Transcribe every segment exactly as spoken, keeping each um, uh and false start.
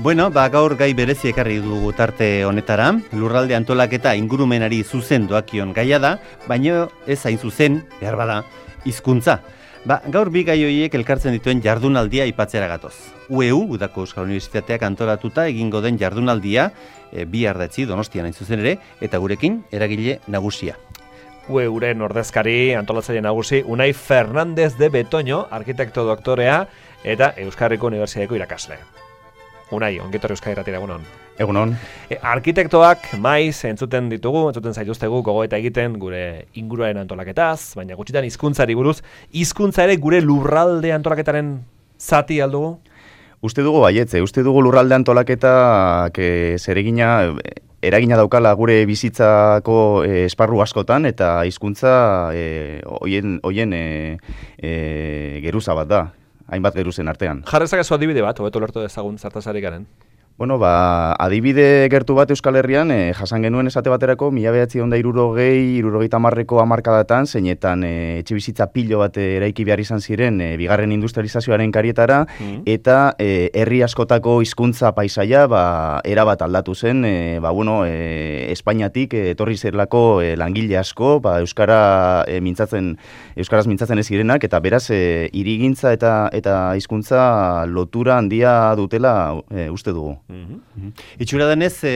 Bueno, ba, gaur gai berezi ekarri dugu tarte honetara, lurralde antolaketa ingurumenari zuzen doakion gaia da, baina ez hain zuzen, behar bada, hizkuntza. Ba, gaur bi gai horiek elkartzen dituen jardunaldia aipatzera gatoz. U E U, Udako Euskal Unibertsitateak antolatuta egingo den jardunaldia, e, bi ardatzi Donostian hain zuzen ere, eta gurekin eragile nagusia. U E Uren ordezkari antolatzaile nagusi Unai Fernández de Betoño, arkitekto doktorea eta Euskarriko Unibertsitateko irakasle. Unai, ongetorri Euskal Irratira, egunon. Egunon. E, arkitektoak maiz entzuten ditugu, entzuten zaituztegu gogoeta egiten gure inguruaren antolaketaz, baina gutxitan hizkuntzari buruz, hizkuntza ere gure lurralde antolaketaren zati aldugu? Uste dugu baietze, uste dugu lurralde antolaketa zeregina eragina daukala gure bizitzako e, esparru askotan eta hizkuntza e, hoien hoien e, e, geruza bat da. Hainbat geruzen artean. Jarrezak ez adibide bat, hobeto lertu dezagun zartazari garen. Bueno, ba, adibide gertu bat Euskal Herrian, eh, jasan genuen esate baterako, mila bederatziehun eta hirurogei, hirurogeita hamarreko hamarkadatan, zeinetan eh, etxebizitza pilo bat eraiki behar izan ziren eh, bigarren industrializazioaren karietara, mm. eta eh, herri askotako hizkuntza paisaia ba, erabat aldatu zen, eh, ba, bueno, eh, Espainiatik eh, etorri zerlako eh, langile asko, ba, Euskara eh, mintzatzen, Euskaraz mintzatzen ez zirenak, eta beraz, eh, hirigintza eta, eta hizkuntza lotura handia dutela eh, uste dugu. Mm-hmm. Itxura denez, e,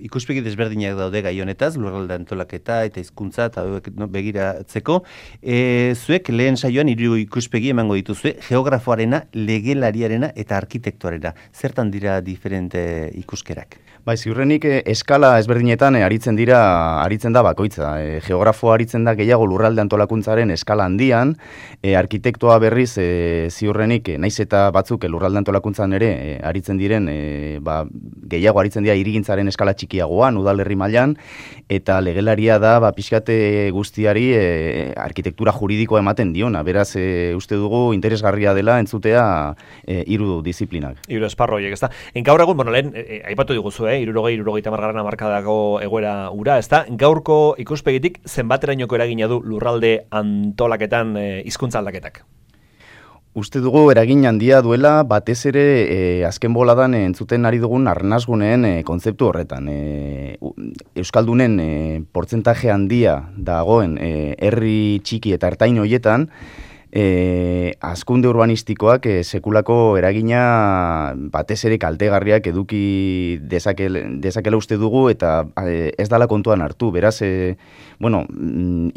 ikuspegi desberdinak daude gai honetaz, lurralde antolaketa eta hizkuntza eta no, begiratzeko. E, zuek lehen saioan hiru ikuspegi emango dituzue, geografoarena, legelariarena eta arkitektoarena. Zertan dira diferente ikuskerak? Bai, ziurrenik eh, eskala ezberdinetan eh, aritzen dira, aritzen da bakoitza. Eh, geografo aritzen da gehiago lurralde antolakuntzaren eskala handian, eh, arkitektoa berriz eh, ziurrenik, eh, naiz eta batzuk eh, lurralde antolakuntzan ere eh, aritzen diren, eh, ba, gehiago aritzen dira hirigintzaren eskala txikiagoan, udalerri mailan, eta legelaria da ba, pixkate guztiari eh, arkitektura juridikoa ematen diona. Beraz, eh, uste dugu interesgarria dela entzutea eh, hiru disiplinak. Hiru esparro horiek, ezta. Gaur egun, bueno, lehen, eh, aipatu diguzu, eh, irurogei, irurogeita hamargarren hamarkadako egoera ura, ezta? Gaurko ikuspegitik zenbaterainoko eragina du lurralde antolaketan eh, hizkuntza aldaketak? Uste dugu eragin handia duela batez ere e, azken boladan e, entzuten ari dugun arnasguneen e, kontzeptu horretan. E, Euskaldunen e, portzentaje handia dagoen e, herri txiki eta ertain hoietan, E, azkunde urbanistikoak e, sekulako eragina batez ere kaltegarriak eduki dezakela, dezakela uste dugu eta e, ez dala kontuan hartu. Beraz, e, bueno,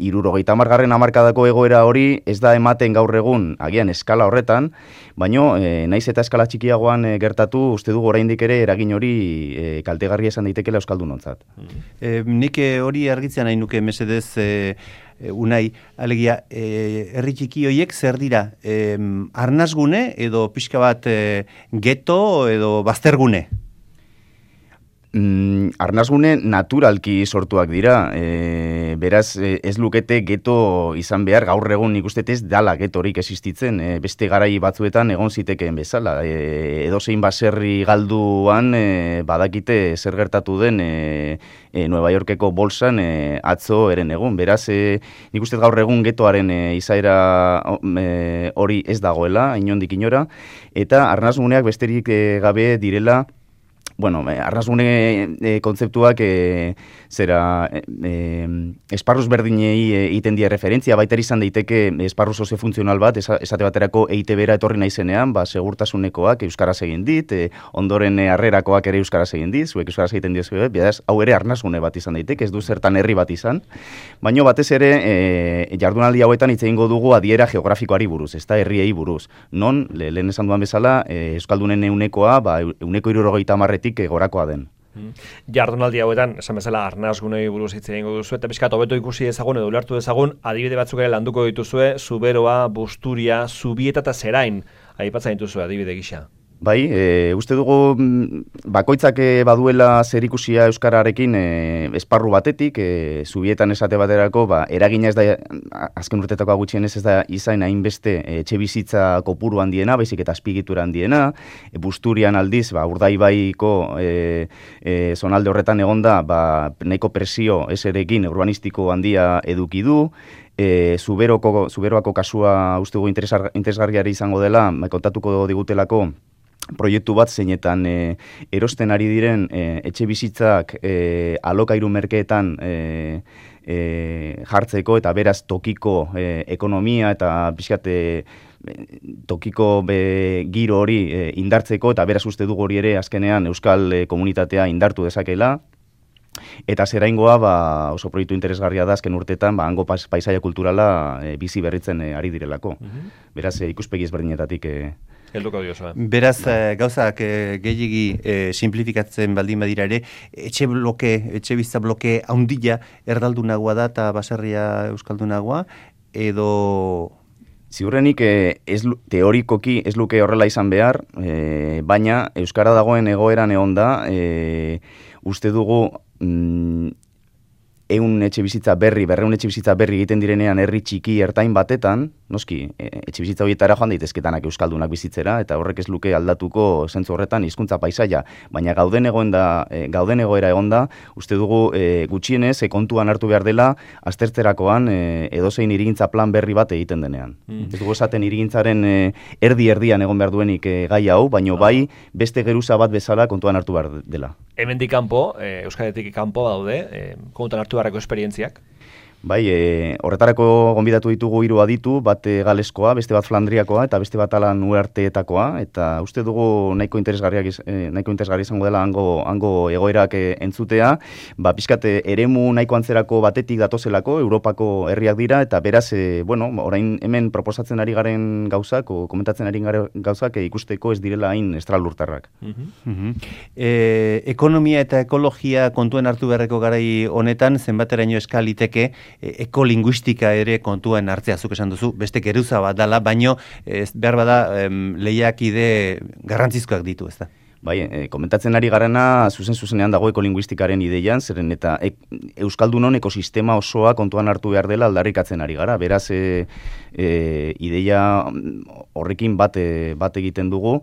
hirurogeita hamargarren hamarkadako egoera hori ez da ematen gaur egun agian eskala horretan, baino e, naiz eta eskala txikiagoan e, gertatu uste dugu oraindik ere eragin hori e, kaltegarria esan daitekela euskaldunontzat. E, nik hori argitzen nahi nuke mesedez e, Unai, alegia, e, herri txiki horiek zer dira? E, arnasgune edo pixka bat e, geto edo baztergune? Mm, arnasgune naturalki sortuak dira, e, beraz e, ez lukete geto izan behar, gaur egun nik uste ez dala getorik existitzen, e, beste garai batzuetan egon zitekeen bezala, e, edozein baserri galduan e, badakite zer gertatu den e, e, Nueva Yorkeko bolsan e, atzo eren egun, beraz e, nik uste gaur egun getoaren e, izaera e, hori ez dagoela, inondik inora, eta arnasguneak besterik e, gabe direla. Bueno, arnasgune e, kontzeptuak e, zera e, e, esparruz berdinei egiten die referentzia, baita izan daiteke esparru soziofuntzional bat, esate baterako E I T B-ra etorri naizenean, ba, segurtasunekoak euskaraz egin dit, e, ondoren harrerakoak ere euskaraz egin dit, zuek euskaraz egiten diozu, beraz, hau ere arnasgune bat izan daiteke, ez du zertan herri bat izan, baino batez ere e, jardunaldi hauetan hitz egingo dugu adiera geografikoari buruz, ez da herriei buruz, non, le, lehen esan duan bezala, e, euskaldunen eunekoa, ba, euneko hirurogeita hamarretik gorakoa den. Jardunaldi hauetan, esan bezala, arnasgunei buruz hitz egingo duzu, eta pixkat hobeto ikusi ezagun edo ulertu dezagun, adibide batzuk ere landuko dituzue, Zuberoa, Busturia, Zubieta eta Zerain, aipatzen dituzue adibide gisa. Bai, e, uste dugu bakoitzak baduela zerikusia euskararekin e, esparru batetik, e, Zubietan esate baterako, ba, eragina ez da, azken urtetako gutxienez ez da izan hainbeste etxe bizitza kopuru handiena, baizik eta azpigitura handiena, e, Busturian aldiz, ba, Urdaibaiko e, e, zonalde horretan egonda, ba, nahiko presio eserekin urbanistiko handia eduki du, E, Zuberoko, Zuberoako kasua uste dugu interesgarriari izango dela, kontatuko digutelako, proiektu bat zeinetan e, erosten ari diren e, etxe bizitzak e, alokairu merkeetan e, e, jartzeko eta beraz tokiko e, ekonomia eta pixkat e, tokiko be, giro hori e, indartzeko eta beraz uste dugu hori ere azkenean euskal e, komunitatea indartu dezakela. Eta zeraingoa ba, oso proiektu interesgarria da azken urtetan ba, hango paisaia kulturala e, bizi berritzen e, ari direlako. Mm-hmm. Beraz e, ikuspegi ezberdinetatik e, helduko diozu. Beraz, eh, gauzak eh, gehiegi eh, simplifikatzen baldin badira ere, etxe bloke, etxe bizitza bloke haundila erdaldunagoa da eta baserria euskaldunagoa, edo... Ziurrenik eh, ez, teorikoki ez luke horrela izan behar, eh, baina euskara dagoen egoeran egon da, eh, uste dugu... Mm, eun etxe bizitza berri, berreun etxe bizitza berri egiten direnean herri txiki ertain batetan, noski, e, etxe bizitza horietara joan daitezketanak euskaldunak bizitzera, eta horrek ez luke aldatuko zentzu horretan hizkuntza paisaia, baina gauden egoen da, e, gauden egoera egon da, uste dugu e, gutxienez, e, kontuan hartu behar dela, aztertzerakoan e, edozein hirigintza plan berri bat egiten denean. Mm. Ez dugu esaten hirigintzaren e, erdi-erdian egon behar duenik e, gai hau, baino ah. bai beste geruza bat bezala kontuan hartu behar dela. Hemendik kanpo, e, Euskaletik kanpo daude, e, kontuan hartu beharreko esperientziak? Bai, e, horretarako gonbidatu ditugu hiru aditu, bat e, galeskoa, beste bat flandriakoa eta beste bat alan uarteetakoa, eta uste dugu nahiko interesgarriak e, nahiko interesgarria izango dela hango, hango egoerak e, entzutea, ba, pixkat eremu nahiko antzerako batetik datozelako, Europako herriak dira, eta beraz, e, bueno, orain hemen proposatzen ari garen gauzak, o komentatzen ari garen gauzak, e, ikusteko ez direla hain estralurtarrak. Uh-huh. Uh-huh. E, ekonomia eta ekologia kontuen hartu beharreko garai honetan, zenbateraino eskaliteke, ekolinguistika ere kontuan hartzea, zuk esan duzu, beste geruza bat dala, baino ez, behar bada em, lehiakide garrantzizkoak ditu, ez da? Bai, e, komentatzen ari garana zuzen-zuzenean dago ekolinguistikaren ideian, zeren eta e, Euskaldunon ekosistema osoa kontuan hartu behar dela aldarrikatzen ari gara. Beraz, e, e, ideia horrekin bat, e, bat egiten dugu,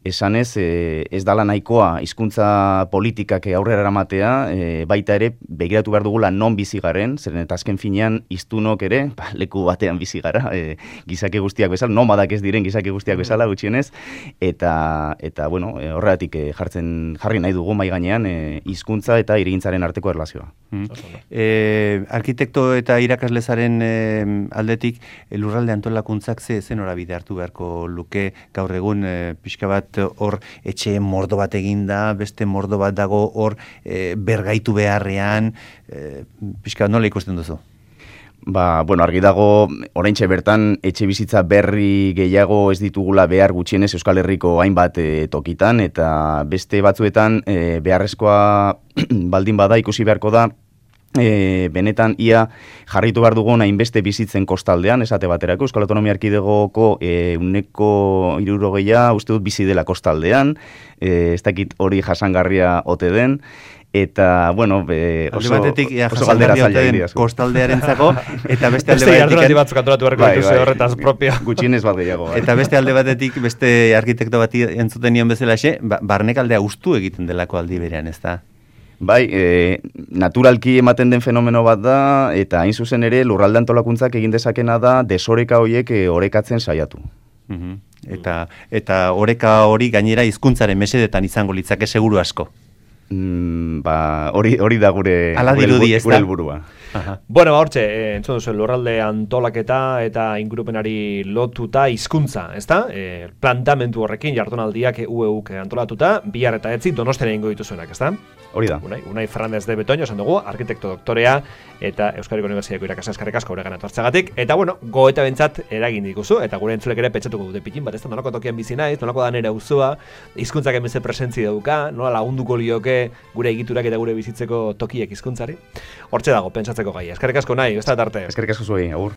esanez e, ez dala nahikoa hizkuntza politikak aurrera eramatea, e, baita ere begiratu behar dugula non bizi garen, zeren eta azken finean hiztunok ere, ba, leku batean bizi gara, e, gizaki guztiak bezala, nomadak ez diren gizaki guztiak bezala gutxienez, eta, eta bueno, e, horregatik e, jartzen jarri nahi dugu mai gainean e, hizkuntza eta hirigintzaren arteko erlazioa. Mm. E, arkitekto eta irakaslezaren e, aldetik e, lurralde antolakuntzak ze zen norabide hartu beharko luke gaur egun e, pixka bat hor etxe mordo bat eginda, beste mordo bat dago hor e, bergaitu beharrean, e, pixka bat nola ikusten duzu? Ba, bueno, argi dago, oraintxe bertan etxe bizitza berri gehiago ez ditugula behar gutxienez Euskal Herriko hainbat e, tokitan, eta beste batzuetan e, beharrezkoa baldin bada ikusi beharko da, E, benetan ia jarritu behar dugun hainbeste bizitzen kostaldean, esate baterako, Euskal Autonomia Erkidegoko e, uneko hirurogeia uste dut bizi dela kostaldean, e, ez dakit hori jasangarria ote den, eta, bueno, be, oso, batetik, ja, oso galdera zaila den kostaldearentzako, eta beste alde batetik... Beste batzuk antolatu beharko dituzu horretaz propia. Gutxienez bat gehiago. Eta beste alde batetik, beste arkitekto bati entzuten nion bezala xe, ba, barnekaldea ustu egiten delako aldi berean, ez da? Bai, e, naturalki ematen den fenomeno bat da, eta hain zuzen ere lurralde antolakuntzak egin dezakena da desoreka horiek e, orekatzen saiatu. Uh-huh. Eta eta oreka hori gainera hizkuntzaren mesedetan izango litzake seguru asko. Mm, ba, hori hori da gure dirudi, gure helburua. Aha. Bueno, ba, hortxe, e, entzun duzu, lurralde antolaketa eta ingurupenari lotuta hizkuntza, ezta? E, plantamentu horrekin jardunaldiak U E Uk antolatuta, bihar eta etzi Donostian egingo dituzuenak, ezta? Hori da. Unai, Unai Fernández de Betoño, esan dugu, arkitekto doktorea eta Euskadiko Unibertsitateko irakasle eskerrik asko guregan etortzeagatik. Eta bueno, goeta bentsat eragin diguzu, eta gure entzulek ere pentsatuko dute pikin bat, ez da nolako tokian bizi naiz, nolako da nere auzua, hizkuntzak hemen ze presentzi dauka, nola lagunduko lioke gure egiturak eta gure bizitzeko tokiek hizkuntzari. Hortxe dago, pentsatzeko gaia. Eskerrik asko nahi, ez da tarte. Eskerrik asko zuei, agur.